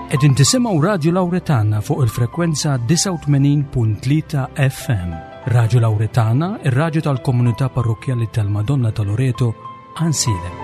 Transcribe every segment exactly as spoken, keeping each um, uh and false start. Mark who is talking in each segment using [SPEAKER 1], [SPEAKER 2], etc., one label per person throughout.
[SPEAKER 1] Qegħdin tisimgħu Radio Lauretana fuq il-frekwenza disgħa u tmenin punt tlieta F M. Radio Lauretana, ir-radju tal-komunità parrokjali tal-Madonna ta' Loreto, Għajnsielem.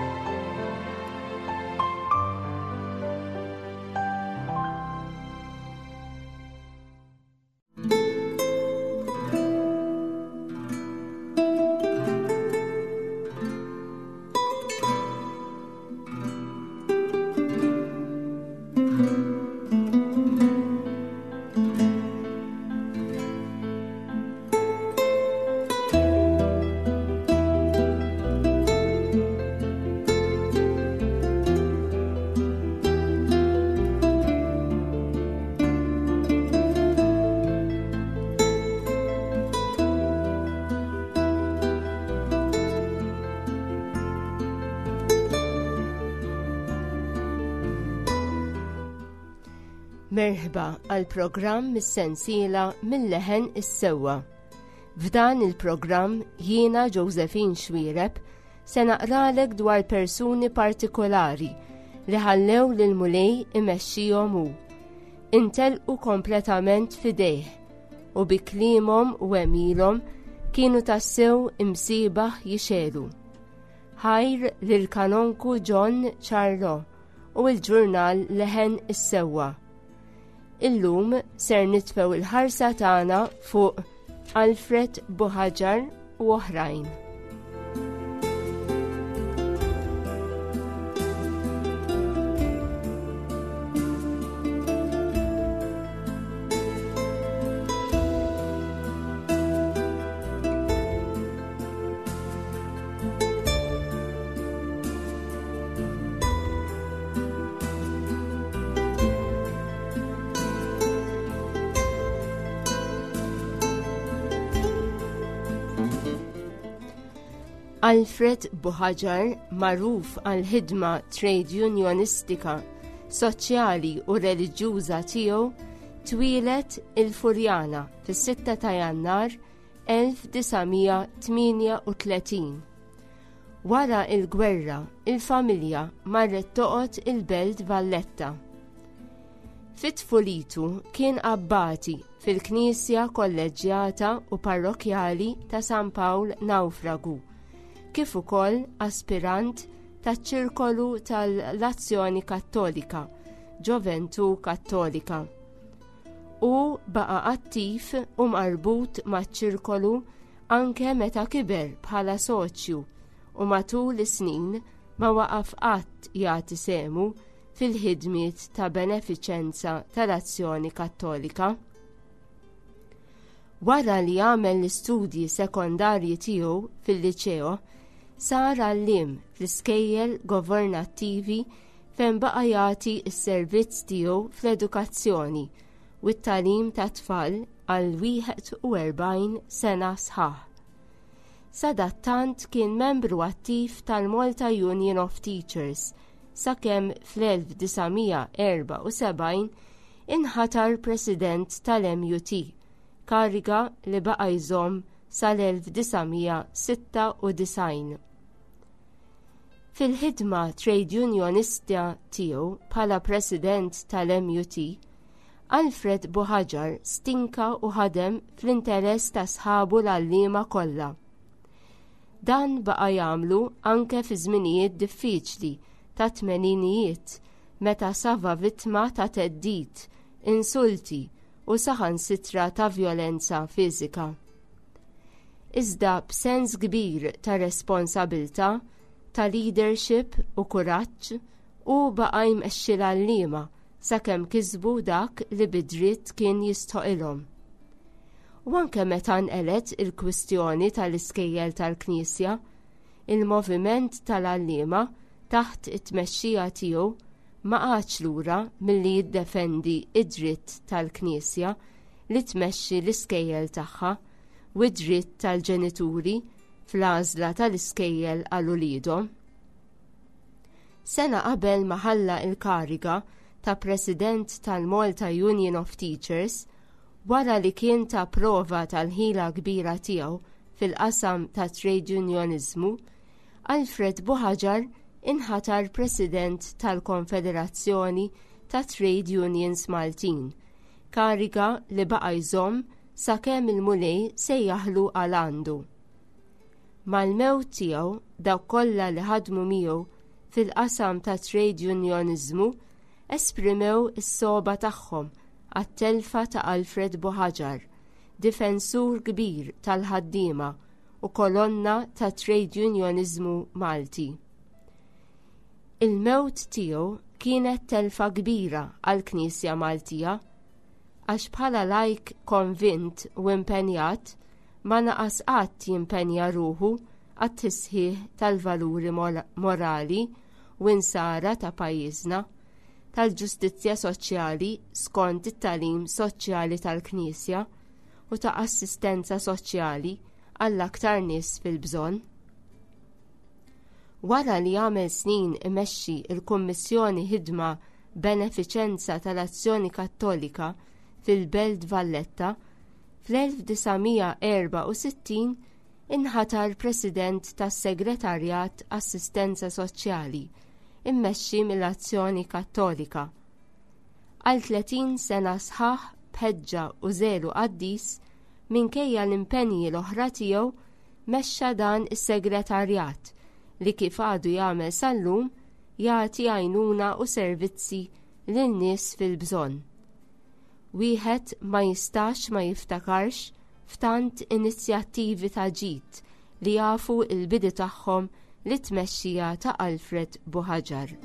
[SPEAKER 2] Merħba għal programm mis-sensiela Mill-Leħen is-Sewwa. F'dan il-programm jiena, Josephine Xuereb, se naqralek dwar persuni partikolari li ħallew lil Mulej imexxihom hu. Intelqu kompletament fidejh u bi kliemhom u għemilhom kienu tassew imsiebaħ jixegħlu. Ħajr lil Kanonku John Charlo u l-ġurnal Leħen is-Sewwa. Illum ser nitfew il-ħarsa tagħna fuq Alfred Buhaġar u oħrajn. Alfred Buhaġar, magħruf għal ħidma trade unionistika, soċjali u reliġjuża tiegħu, twieled il-Furjana fis-sitta ta' Jannar elf disa' mija tmienja u tletin. Wara il-gwerra, il-familja marret toqgħod il-Belt Valletta. Fit-tfulitu kien abbati fil-Knisja Kolleġġjata u Parrokjali ta' San Pawl Nawfragu, kif ukoll aspirant taċ-ċirkolu tal-Azzjoni Kattolika, Ġoventu Kattolika. U baqa attiv u marbut maċ-ċirkolu anke meta kiber bħala soċju u matul is-snin ma waqaf qatt jagħti sehmu fil-ħidmiet ta' benefiċenza tal-Azzjoni Kattolika. Wara li għamel l-istudji sekondarji tiegħu fil-liċeo, sar għalliem fl-iskejjel governattivi fejn baqa' jagħti s-servizz tiegħu fl-edukazzjoni u t-tagħlim ta' tfal għal wieħed u erbgħin sena sħaħ. Sadattant kien membru attiv tal-Malta Union of Teachers sakemm fl-elf disa' mija erbgħa u sebgħin inħatar president tal-M U T, kariga li baqa' jżomm sal-elf disa' mija sitta u disgħin. Fil-ħidma trade unionista tiegħu bħala president tal-M U T, Alfred Buhaġar stinka u ħadem fl-interess ta' sħabu l-għalliema kollha. Dan baqa' jagħmlu anke fi żminijiet diffiċli ta' tmeninijiet meta safa vittma ta' theddid, insulti u saħansitra ta' vjolenza fiżika. Iżda b'sens kbir ta' responsabilta, ta' leadership u kuraġġ, u baqa' jmexxi l-għalliema sakemm kisbu dak li bidritt kien jistħoqilhom. U anke meta nqelet il-kwistjoni tal-iskejjel tal-Knisja, il-moviment tal-għalliema taħt it-tmexxija tiegħu ma qagħadx lura milli jiddefendi id-dritt tal-Knisja li tmexxi l-iskejjel tagħha u d-dritt tal-ġenituri fl-għażla tal-iskejjel għal uliedhom. Sena qabel ma ħalla il-kariga ta' President tal-Malta Union of Teachers, wara li kien ta prova tal-ħila kbira tiegħu fil-qasam ta' trade unionizmu, Alfred Buhaġar inħatar President tal-Konfederazzjoni ta' Trade Unions Maltin, kariga li baqa' jżomm sakemm il-Mulej sejjaħlu għal għandu. Mal-mewt tiegħu dawk kollha li ħadmu miegħu fil-qasam ta' trade unioniżmu esprimew is-sogħba tagħhom għat-telfa ta' Alfred Buhagiar, difensur kbir tal-ħaddiema u kolonna ta' trade unioniżmu Malti. Il-mewt tiegħu kienet telfa kbira għall-Knisja Maltija għax bħala lajk konvint u impenjat ma naqas qatt jimpenja ruħu għat-tisħiħ tal-valuri morali u insara ta' pajjiżna, tal-ġustizzja soċjali skont it-tagħlim soċjali tal-Knisja u ta' assistenza soċjali għall-aktar nies fil-bżonn. Wara li għamel snin imexxi il-Kummissjoni Ħidma Benefiċenza tal-Azzjoni Kattolika fil-Belt Valletta, fl-elf disa' mija erba' u sittin inħatar President tas-Segretarjat Assistenza Soċjali immexxi mill-Azzjoni Kattolika. Għal tletin sena sħaħ b'ħeġġa u żelu qaddis, minkejja l-impenji l-oħra tiegħu, mexxa dan is-segretarjat li kif għadu jagħmel sal-lum jagħti għajnuna u servizzi lin-nies fil-bżonn. Wieħed ma jistax ma jiftakarx f'tant inizjattivi ta' ġid li jafu l-bidu tagħhom li tmexxija ta' Alfred Buhagiar.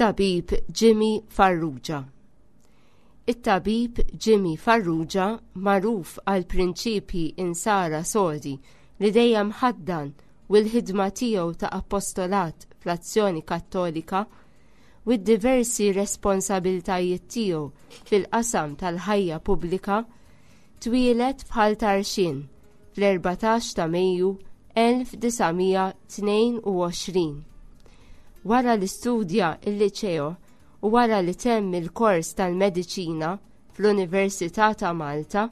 [SPEAKER 2] It-tabib Jimmy Farrugia. It-tabib Jimmy Farrugia, magħruf għal prinċipji insara sodi li dejjem ħaddan u l-ħidma tiegħu ta' apostolat fl-Azzjoni Kattolika u d-diversi responsabiltajiet tiegħu fil-qasam tal-ħajja pubblika, twieled f'Ħal Tarxien fl-erbatax ta' Mejju elf disa' mija tnejn u għoxrin. Wara li studja il-liċeo u wara li temm il-kors tal-mediċina fl-Università ta' Malta,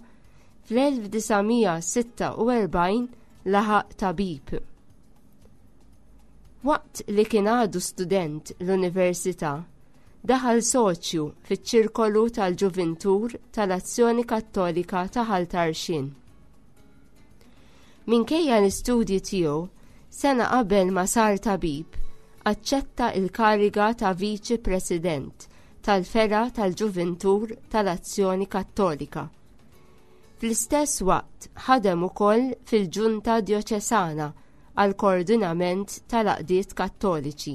[SPEAKER 2] fl-elf disa' mija sitta u erbgħin laħaq tabib. Waqt li kien għadu student l-università, daħal soċju fiċ-ċirkolu tal-Ġuvintur tal-Azzjoni Kattolika ta' Ħal Tarxien. Minkejja l-istudji tiegħu, sena qabel ma sar tabib, aċċetta il-kariga ta' Viċi President tal-Fergħa tal-Ġuvintur tal-Azzjoni Kattolika. Fl-istess waqt ħadem ukoll fil-Ġunta Djoċesana għal koordinament tal-Għaqdiet Kattoliċi,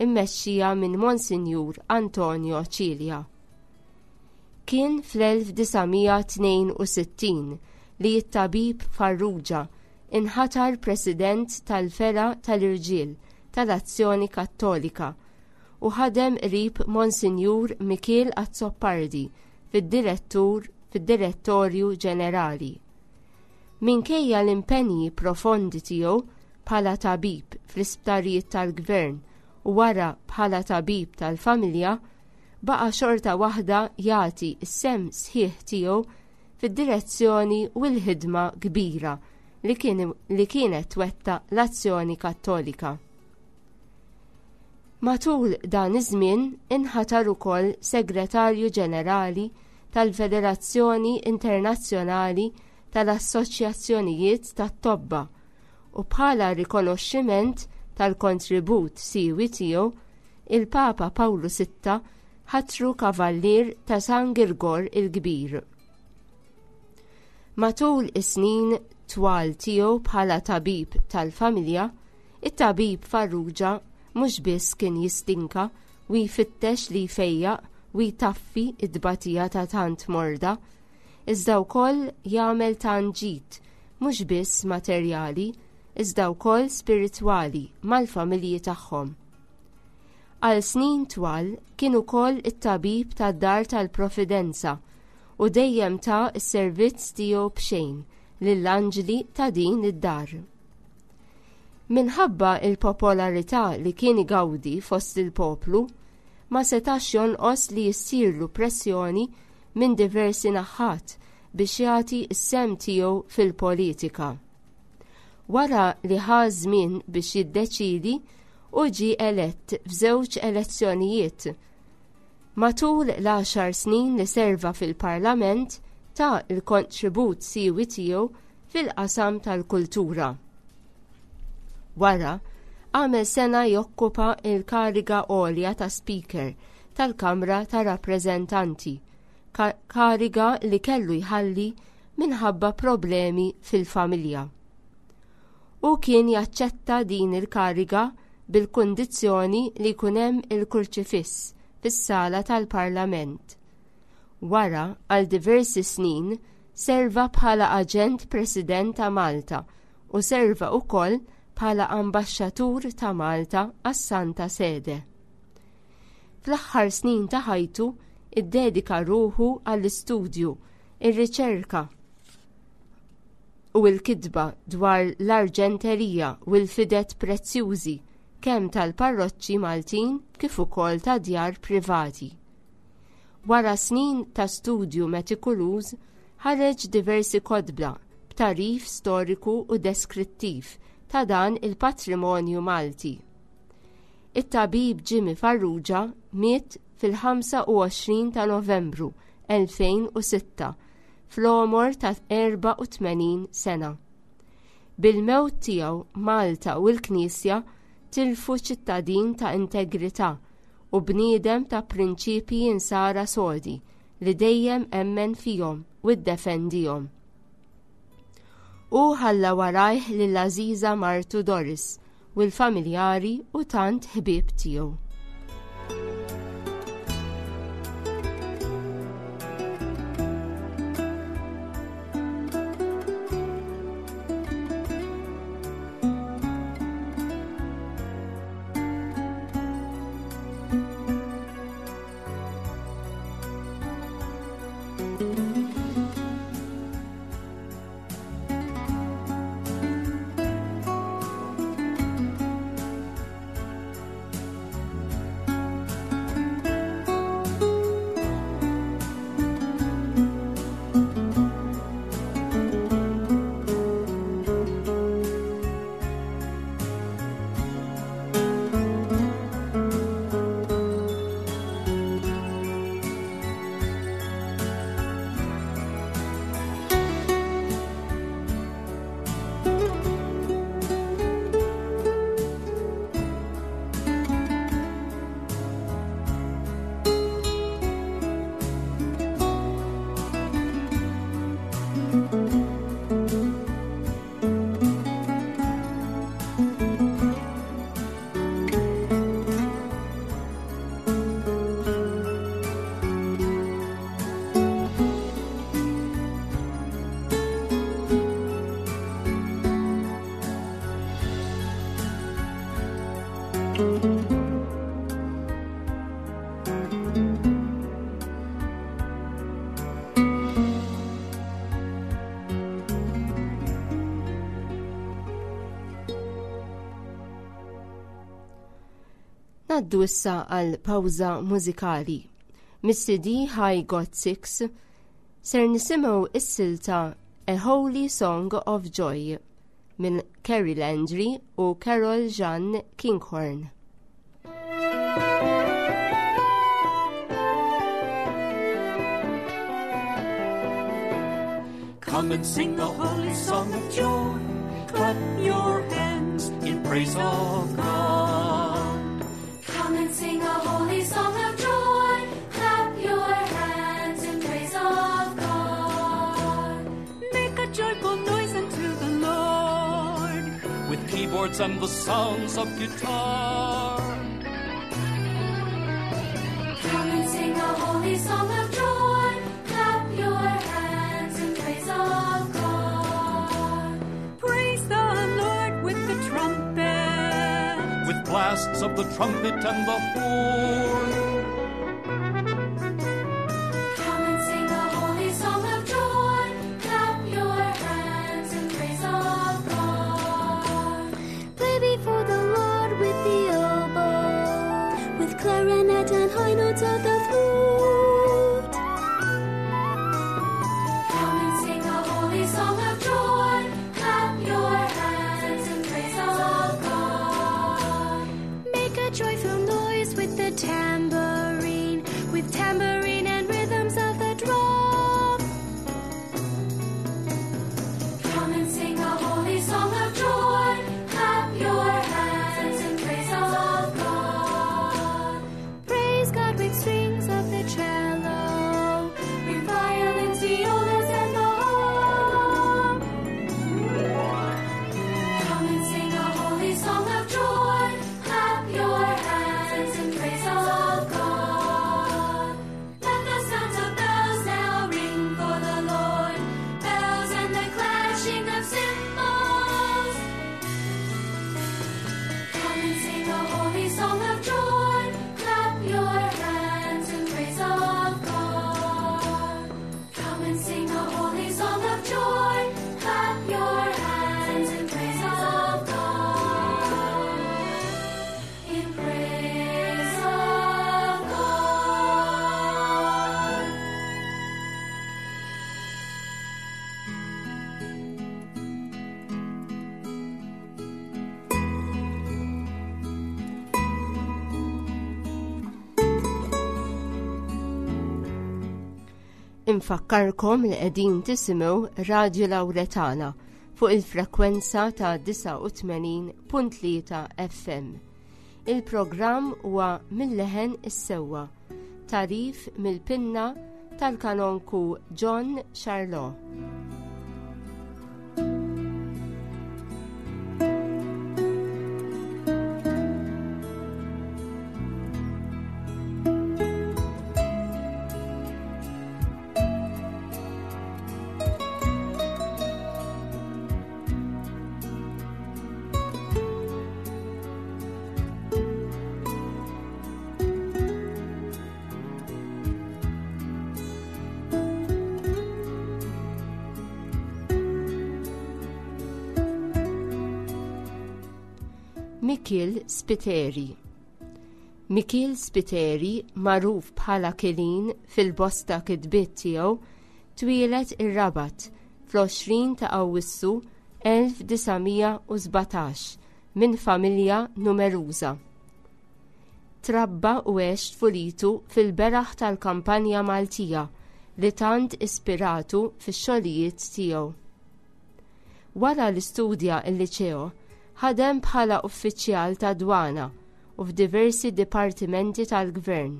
[SPEAKER 2] immexxija minn Monsinjur Antonio Cilia. Kien fl-elf disa' mija tnejn u sittin li t-tabib Farrugia inħatar President tal-Fergħa tal-Irġiel tal-Azzjoni Kattolika u ħadem qrib Monsinjur Mikiel Azzopardi fid-direttur fid-Direttorju Ġenerali. Minkejja l-impenji profondi tiegħu bħala tabib fl-isptarijiet tal-gvern u wara bħala tabib tal-familja, baqa' xorta waħda jagħti s-sem sħiħ tiegħu fid-direzzjoni u l-ħidma kbira li kien, li kienet twettaq l-Azzjoni Kattolika. Matul dan iż-żmien inħatar ukoll Segretarju Ġenerali tal-Federazzjoni Internazzjonali tal-Assoċjazzjonijiet tat-Tobba u bħala rikonoxximent tal-kontribut siwi tiegħu, il-Papa Pawlu sitta ħatru Kavallier ta' San Girgor il-Kbir. Matul is-snin twal tiegħu bħala tabib tal-familja, it-tabib Farrugia mhux biss kien jistinka u jfittex li jfejjaq u jtaffi id-batija ta' tant morda, iżda wkoll jagħmel tant ġid, mhux biss materjali, iżda wkoll spiritwali mal-familji tagħhom. Għal snin twal kien ukoll it-tabib tad-dar tal-Providenza u dejjem ta s-servizz tiegħu b'xejn lill-anġli ta' din id-dar. Minħabba il-popolarità li kien igawdi fost il-poplu, ma setax jonqos li jissirlu pressjoni minn diversi naħat biex jagħti s-sehem tiegħu fil-politika. Wara li ħa żmien biex jiddeċidi u ġie elett f'żewġ elezzjonijiet. Matul l-għaxar snin li serva fil-Parlament ta l-kontribut siewi tiegħu fil-qasam tal-kultura. Wara, għamel sena jokkupa il-kariga għolja ta' Speaker tal-Kamra ta' Rappreżentanti, kariga li kellu jħalli minħabba problemi fil-familja. U kien jaċċetta din il-kariga bil-kundizzjoni li jkun hemm il-kurċifiss fis-sala tal-Parlament. Wara, għal diversi snin, serva bħala aġent President ta' Malta u serva wkoll bħala ambaxxatur ta' Malta għas-Santa Sede. Fl-aħħar snin ta' ħajtu iddedika ruħu għall-istudju, ir-riċerka u l-kitba dwar l-arġenterija u l-fidet prezzjużi kemm tal-parroċċi Maltin kif ukoll ta' djar privati. Wara snin ta' studju metikuluż ħareġ diversi kotba b'tagħrif storiku u deskrittiv ta' dan il-patrimonju Malti. It-tabib Jimmy Farrugia miet fil-ħamsa u għoxrin ta' Novembru elfejn u sitta fl-għomor ta' erba' u tmenin sena. Bil-mewt tiegħu Malta u l-Knisja tilfu ċittadin ta' integrità u bniedem ta' prinċipji insara sodi li dejjem emmen fihom u ddefendihom. U ħalla warajh lil Aziza martu Doris u l-familjari u tant ħbieb tiegħu. Naddu issa għal pawża mużikali. Mis-C D High God Six ser nisimgħu is-silta A Holy Song of Joy minn Kerry Landry u Carol Jean Kinghorn.
[SPEAKER 3] Come and sing a holy song of joy. Clap your hands in praise of God.
[SPEAKER 4] Come and sing a holy song of joy. Clap your hands in praise of God.
[SPEAKER 3] Make keyboards and the sounds of guitar.
[SPEAKER 4] Come and sing a holy song of joy. Clap your hands in praise of God.
[SPEAKER 5] Praise the Lord with the trumpet,
[SPEAKER 3] with blasts of the trumpet and the horn.
[SPEAKER 4] Come and sing a holy song of joy. Clap your hands in praise of God.
[SPEAKER 6] Play before the Lord with the oboe, with clarinet and high notes of the flute.
[SPEAKER 4] Come and sing a holy song of joy. Clap your hands in praise of God.
[SPEAKER 6] Make a joyful noise with the tambourine, with tambourine and rhythms of the drum.
[SPEAKER 4] Come and sing a holy song of joy. Clap your hands in praise of God.
[SPEAKER 6] Praise God with strings of the cello, with violins, violas, and the harp.
[SPEAKER 4] Come and sing a holy song of joy. Clap your hands in praise of God. Let the sounds of bells now ring for the Lord, bells and the clashing of cymbals. Come and sing a holy song of joy. Clap your hands in praise of God. Come and sing a holy song of joy. Clap your hands in praise of God. In praise of God.
[SPEAKER 2] Infakkarkom li qegħdin tisimgħu Radju Lawretana fuq il-frekwenza ta' disgħa u tmenin punt tlieta F M. Il-programm huwa Mil-Leħen is-Sewwa, tagħrif mill-pinna tal-kanonku John Charlot. Mikiel Spiteri. Mikiel Spiteri, magħruf bħala Kilin fil-bosta kitbiet tiegħu, twieled ir-Rabat fl-għoxrin ta' Awwissu elf disa' mija u sbatax minn familja numeruża. Trabba u għex tfulitu fil-beraħ tal-kampanja Maltija li tant ispiratu fix-xogħlijiet tiegħu. Wara li studja il-liċeo, ħadem bħala uffiċjal ta' dwana u f'diversi dipartimenti tal-gvern.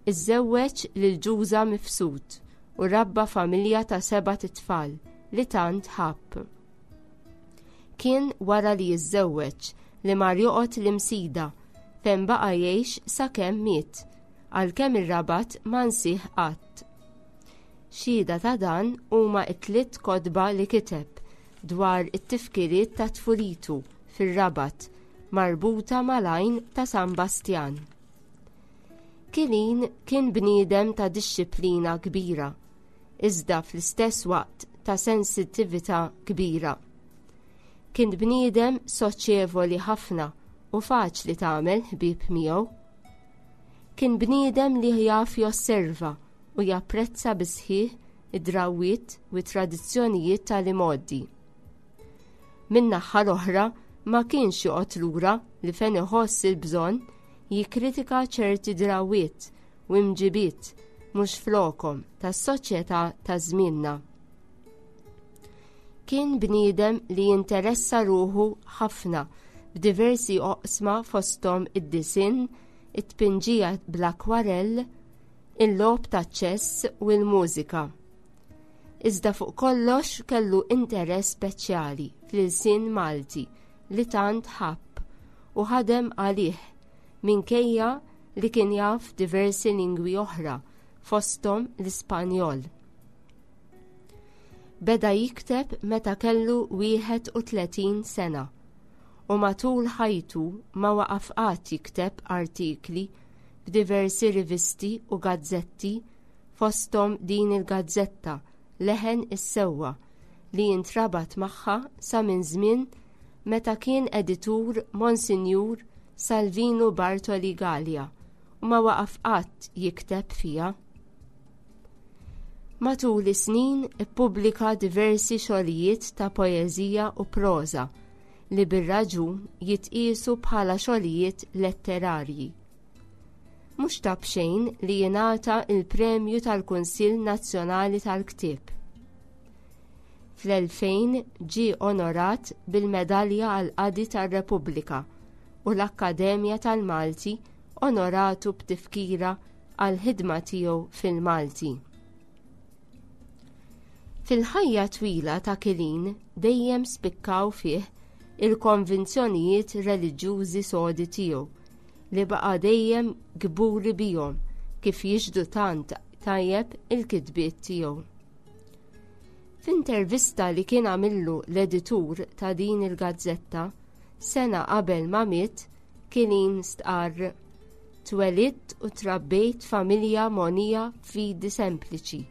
[SPEAKER 2] Iżżewweġ lil Ġuża Mifsud u rabba familja ta' sebat itfal li tant ħabb. Kien wara li jiżżewweġ li mar joqgħod l-Imsida, fejn baqa' jgħix sakemm miet, għalkemm ir-Rabat ma nsih qatt. Xhieda ta' dan huma t-tliet kotba li kiteb dwar it-tifkiriet ta' tfulitu fir-Rabat marbuta mal-għajn ta' San Bastjan. Kilin kien bniedem ta' dixxiplina kbira, iżda fl-istess waqt ta' sensittività kbira. Kien bniedem soċjevoli ħafna u faċli tagħmel ħbieb miegħu. Kien bniedem li jaf josserva u japprezza bisħiħ id-drawwiet u tradizzjonijiet tal-imgħoddi. Min-naħa l-oħra, ma kienx joqgħod lura li fejn iħoss il-bżonn jikkritika ċerti drawwiet u imġibiet mhux flokhom tas-soċjetà ta' żmienna. Kien bniedem li jinteressa ruħu ħafna b'diversi oqsma, fosthom id-disinn, it-tpinġija bl-akwarell, il-logħob ta' ċess u l-mużika. Iżda fuq kollox kellu interess speċjali fl-ilsien Malti. li tant ħabb u ħadem għalih minkejja li kien jaf diversi lingwi oħra fosthom l-Ispanjol. Beda jikteb meta kellu wieħed u tletin sena u matul ħajtu ma waqaf qatt jikteb artikli f'diversi rivisti u gazzetti fosthom din il-gazzetta Leħen is-Sewwa li jintrabat magħha sa minn żmien meta kien editur Monsinjur Salvinu Bartoli Galea u ma waqaf qatt jikteb fiha. Matul is-snin ippubblika diversi xogħlijiet ta' poeżija u proża li bir-raġun jitqiesu bħala xogħlijiet letterarji. Mhux ta' b'xejn li jingħata il-Premju tal-Kunsill Nazzjonali tal-Ktieb. Fl-elfejn ġie onorat bil-Medalja għall-Qadi tar-Repubblika u l-Akkademja tal-Malti onoratu b'tifkira għall-ħidma tiegħu fil-Malti. Fil-ħajja twila ta' Kilin dejjem spikkaw fih il-konvinzjonijiet reliġjużi sodi tiegħu li baqa' dejjem kburi bihom kif jixhdu tant tajjeb il-kitbiet tiegħu. F'intervista li kien għamillu l-editur ta' din il-gazzetta sena qabel ma miet, Kilin stqarr: Twelidt u trabbejt familja monija fidi sempliċi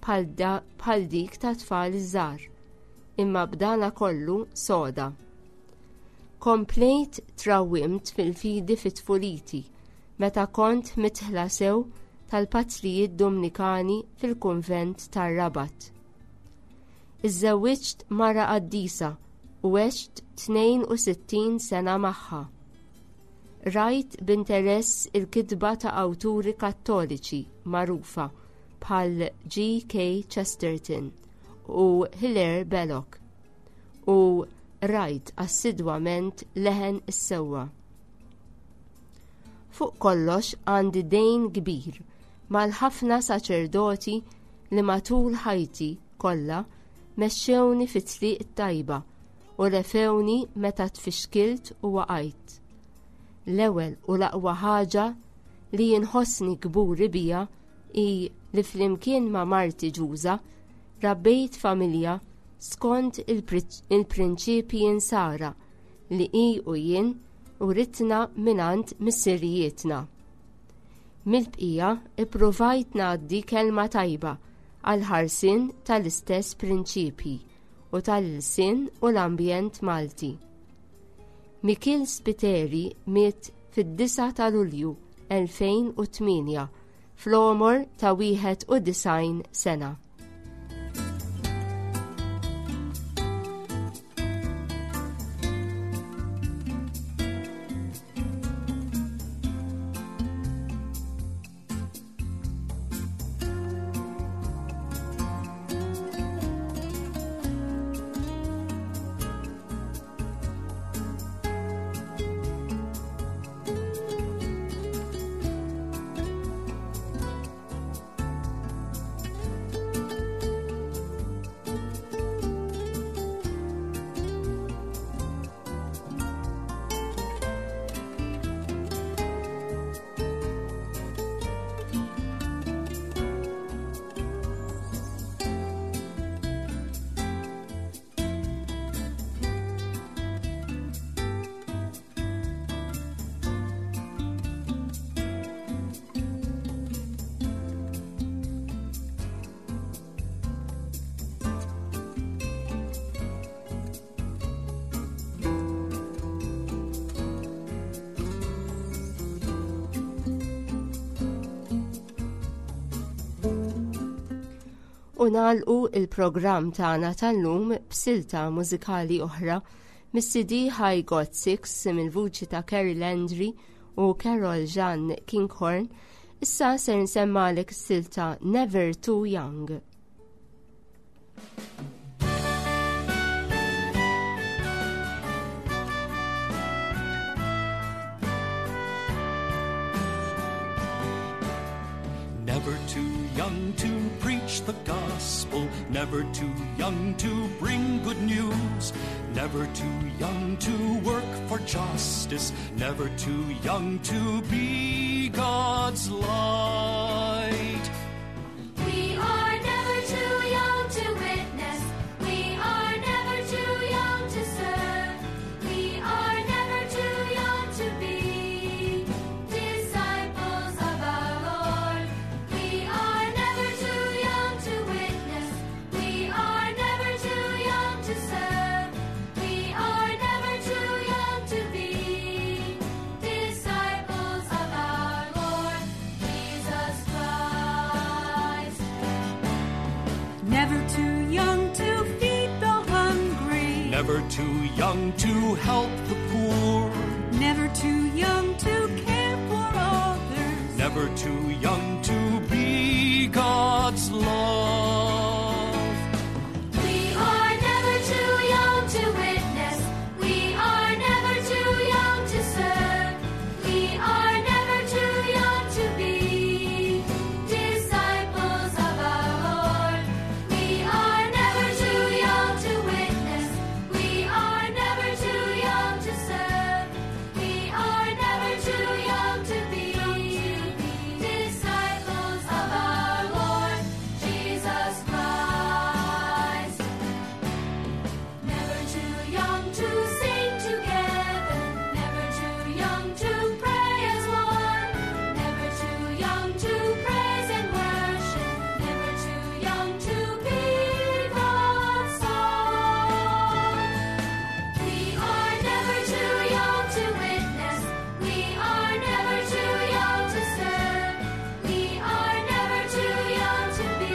[SPEAKER 2] bħal dik ta' tfal iż-żgħar, imma b'dana kollu soda. Komplejt trawwimt fil-fidi fit-tfuliti meta kont mitħla sew tal-patrijiet Dominikani fil-kunvent tar-Rabat. Iżżewwiġt mara qaddisa u għext tnejn u sittin sena magħha. Rajt b'interess il-kitba ta' awturi kattoliċi magħrufa bħal G K Chesterton u Hilaire Belloc u rajt assidwament Leħen is-Sewwa. Fuq kollox għandi dejn kbir mal-ħafna saċerdoti li matul ħajti kollha mexxewni fit-triq it-tajba u refewni meta tfixkilt u waqajt. L-ewwel u l-aqwa ħaġa li jinħossni kburi bija hi li flimkien ma' marti Ġuża rabbejt familja skont il-prinċipji insara li hi u jien uritna mingħand missirijietna. Mill-bqija ippruvajt ngħaddi kelma tajba għal ħarsien tal-istess prinċipji u tal-ilsien u l-ambjent Malti. Mikiel Spiteri miet fid-disa ta' Lulju elfejn u tmienja fl-għomor ta' wieħed u disgħin sena. U nagħlqu il-programm tagħna tal-lum b'silta mużikali oħra mis-C D High God Six mill-vuċi ta' Carrie Landry u Carol Jean Kinghorn. Issa ser nsemmalek silta Never Too Young.
[SPEAKER 3] Never too young young to preach the gospel, never too young to bring good news, never too young to work for justice, never too young to be God's light.
[SPEAKER 4] We are never too young to witness. We are never too young to serve. We are never too young to be disciples of our Lord. We are never too young to witness. We are never too young to serve. We are never too young to be disciples of our Lord Jesus Christ.
[SPEAKER 5] Never too young to feed the hungry.
[SPEAKER 3] Never too young to help the poor,
[SPEAKER 5] Never too young to care for others.
[SPEAKER 3] never too young to be God's love.
[SPEAKER 4] We are never too young to witness. We are never too young to serve. We are never too young to be disciples of our Lord. We are never too young to witness. We are never too young to serve. We are never too young to be disciples of our Lord Jesus Christ. Never too young to sing together, never too young to pray as one, never too young to praise and worship, never too young to be God's song. We are never too young to witness, we are never too young to serve, we are never too young to be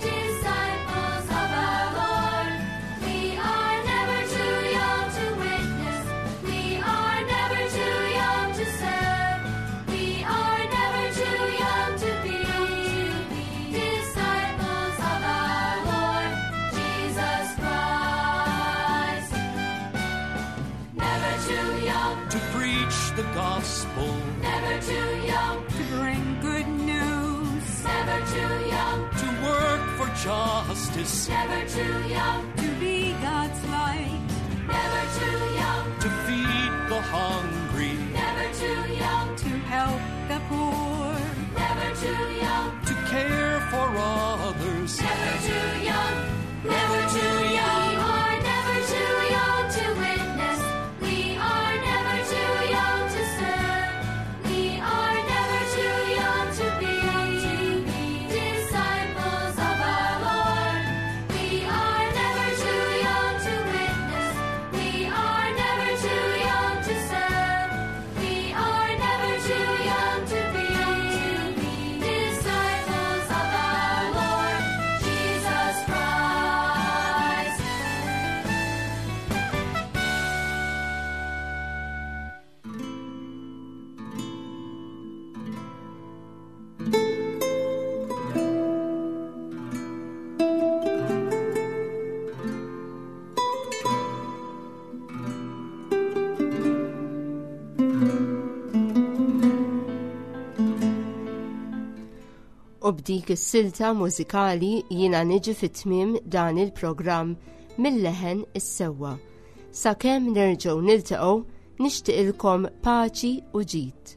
[SPEAKER 4] disciples of our Lord. We are never too young to witness, we are never too young to serve, we are never too young to be disciples of our Lord Jesus Christ. Never too young,
[SPEAKER 3] To preach the gospel,
[SPEAKER 4] never too young,
[SPEAKER 5] To bring good news.
[SPEAKER 4] never too young,
[SPEAKER 3] to work for justice,
[SPEAKER 4] never too young,
[SPEAKER 5] To be God's light.
[SPEAKER 4] never too young,
[SPEAKER 3] to feed the hungry,
[SPEAKER 4] never too young,
[SPEAKER 5] To help the poor.
[SPEAKER 4] never too young,
[SPEAKER 3] to care for others.
[SPEAKER 4] never too young, never too young. We are never too young to witness. We are never too young to serve. We are never too young to be disciples of our Lord. We are never too young to witness. We are never too young to serve. We are never too young to be disciples of our Lord Jesus Christ.
[SPEAKER 2] U b'dik is-silta mużikali jiena niġi fit-tmiem dan il-programm mill-leħen is-sewwa. Sakemm nerġgħu niltaqgħu nixtieqilkom paċi u ġid.